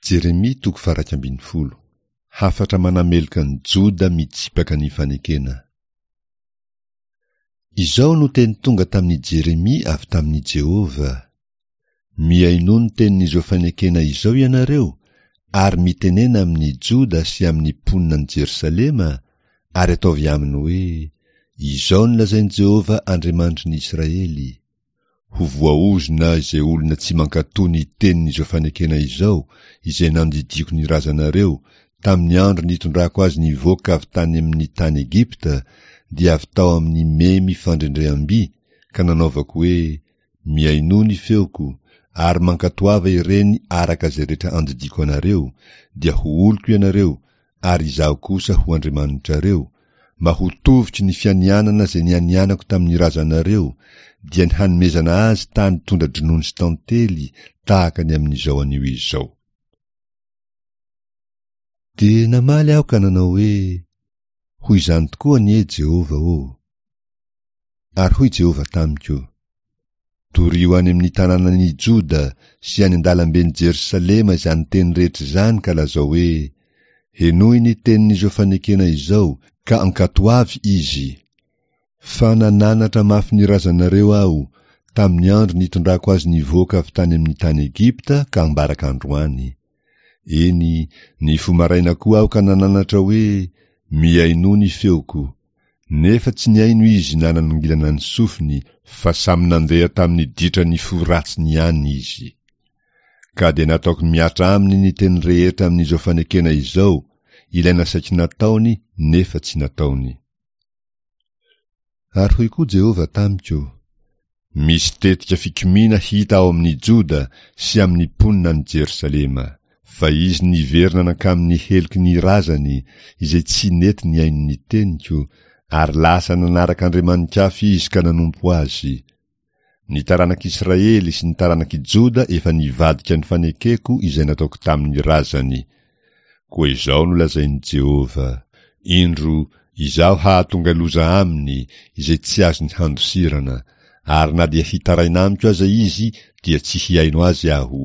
Jeremia toko faha-11. Hafatra manameloka an'i Joda mitsipaka ny fanekena. Izao no teny tonga tamin'i Jeremia avy tamin'i Jehovah, Mihainoa ny tenin'izao fanekena izao ianareo, ary mitenena amin'i Joda sy amin'ny mponina any Jerosalema, ary ataovy aminy hoe, Izao no lazain'i Jehovah Andriamanitry ny Israely, Ho voaozona izay olona tsy mankatò ny tenin'izao fanekena izao izay nandidiako ny razanareo tamin'ny andro nitondrako azy nivoaka avy tany amin'ny tany Egypta, dia avy tao amin'ny memy fandrendreham-by, ka nanaovako hoe, Mihainoa ny feoko, ary mankatoava ireny araka izay rehetra andidiako anareo, dia ho oloko ianareo, ary Izaho kosa ho Andriamanitrareo, mba ho tovotry ny fianianana izay nianianako tamin'ny razanareo, dia ny hanomezana azy tany tondra-dronono sy tantely tahaka ny amin'izao anio izao. Dia namaly aho ka nanao hoe, Ho izany tokoa anie, Jehovah ô! Ary hoy Jehovah tamiko, Torio any amin'ny tanànan'i Joda sy any an-dalamben'i Jerosalema izany teny rehetra izany ka lazao hoe, 'Henoy ny tenin'izao fanekena izao, ka ankatoavy izy. Fa nananatra mafy ny razanareo Aho, tamin'ny andro nitondrako azy nivoaka avy tany amin'ny tany Egypta ka ambaraka androany. Eny, nifoha maraina koa Aho ka nananatra hoe, 'Mihainoa ny feoko. Nefa tsy nihaino izy na nanongilana ny sofiny, fa samy nandeha tamin'ny ditran'ny fo ratsiny ihany izy. Ka dia nataoko mihatra aminy ny teny rehetra amin'izao fanekena izao, ilay nasaiko nataony nefa tsy nataony. Ary hoy koa Jehovah tamiko, Misy tetika fikomiana hita ao amin'i Joda sy amin'ny mponina any Jerosalema, fa izy niverina nankamin'ny heloky ny razany, izay tsy nety nihaino ny teniko, ary lasa nanaraka andriamani-kafa izy ka nanompo azy. Ny taranak'Israely sy ny taranak'i Joda efa nivadika ny fanekeko izay nataoko tamin'ny razany. Koa izao no lazain'i Jehovah, Indro, Izaho hahatonga loza aminy izay tsy azony handosirana, ary na dia hitaraina amiko aza izy dia tsy hihaino azy Aho.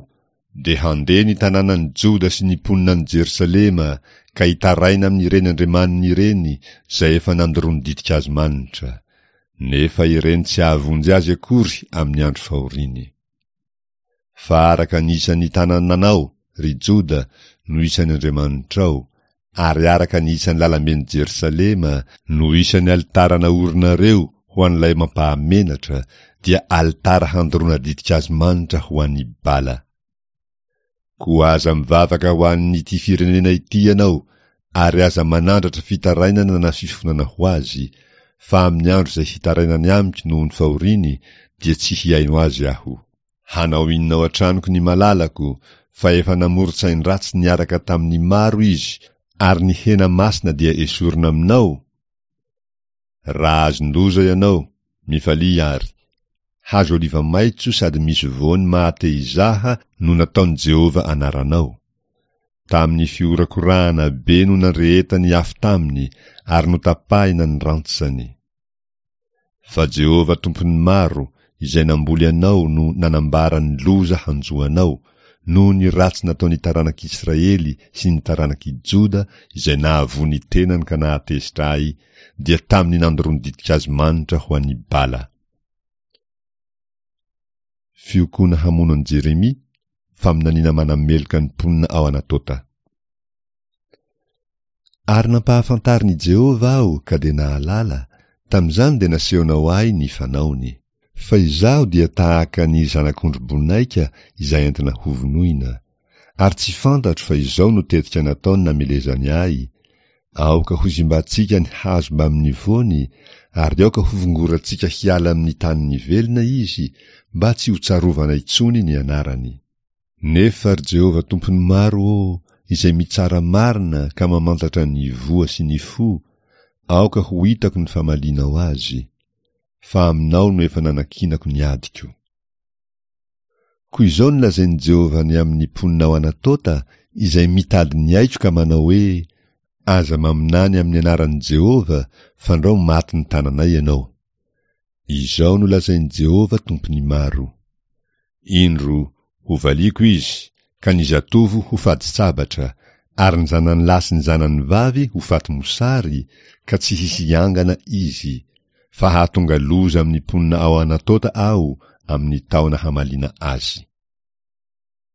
Dia handeha ny tanànan'i Joda sy ny mponina any Jerosalema ka hitaraina amin'ireny andriamaniny ireny izay efa nandoroany ditin-kazo manitra. Nefa ireny tsy hahavonjy azy akory amin'ny andro fahoriany. Fa araka ny isan'ny tanànanao, ry Joda, no isan'ny andriamanitrao, ary araka ny isan'ny lalamben'i Jerosalema no isan'ny alitara naorinareo ho an'ilay mampahamenatra, dia alitara handoroana ditin-kazo manitra ho an'i Bala. Koa aza mivavaka ho an'ity firenena ity ianao, ary aza manandratra fitarainana na fifonana ho azy, fa amin'ny andro izay hitarainany amiko noho ny fahoriany, dia tsy hihaino azy Aho. Hanao inona ao an-tranoko ny malalako, fa efa namoron-tsain-dratsy niaraka tamin'ny maro izy, ary ny hena masina dia esorina aminao? Raha azon-doza ianao, mifalia àry. Hazo oliva maitso sady misy voany maha-te-hizaha no nataon'i Jehovah anaranao. Tamin'ny fihorakorahana be no nandrehetany afo taminy ary notapahina ny rantsany. Fa Jehovah Tompon'ny maro, izay namboly anao no nanambara ny loza hanjo anao, noho ny ratsy nataon'ny taranak'Israely sy ny taranak'i Joda izay nahavoa ny tenany ka nahatezitra Ahy, dia tamin'ny nandoroany ditin-kazo manitra ho an'i Bala. Fiokoana hamono an'i Jeremia, faminaniana manameloka ny mponina ao Anatota. Ary nampahafantarin'i Jehovah aho ka dia nahalala, tamin'izany dia nasehonao ahy ny fanaony. Fa izaho dia tahaka ny zanak'ondry bonaika izay entina hovonoina, ary tsy fantatro fa izao no tetika nataony namelezany ahy, Aoka hozimbantsika ny hazo mbamin'ny voany, ary aoka hovongorantsika hiala amin'ny tanin'ny velona izy, mba tsy hotsarovana intsony ny anarany. Nefa, ry Jehovah Tompon'ny maro ô, izay mitsara marina ka mamantatra ny voa sy ny fo, aoka ho hitako ny famalianao azy, fa aminao no efa nanankinako ny adiko. Koa izao no lazain'i Jehovah ny amin'ny mponina ao Anatota, izay mitady ny aiko ka manao hoe, Aza maminany amin'ny anaran'i Jehovah, fandrao matin'ny tananay ianao. Izao no lazain'i Jehovah Tompon'ny maro, Indro, hovaliako izy, ka ny zatovo ho fadin-tsabatra, ary ny zanany lahy sy ny zanany vavy ho faty mosary, ka tsy hisy hiangana izy, fa hahatonga loza amin'ny mponina ao Anatota Aho amin'ny taona hamaliana azy.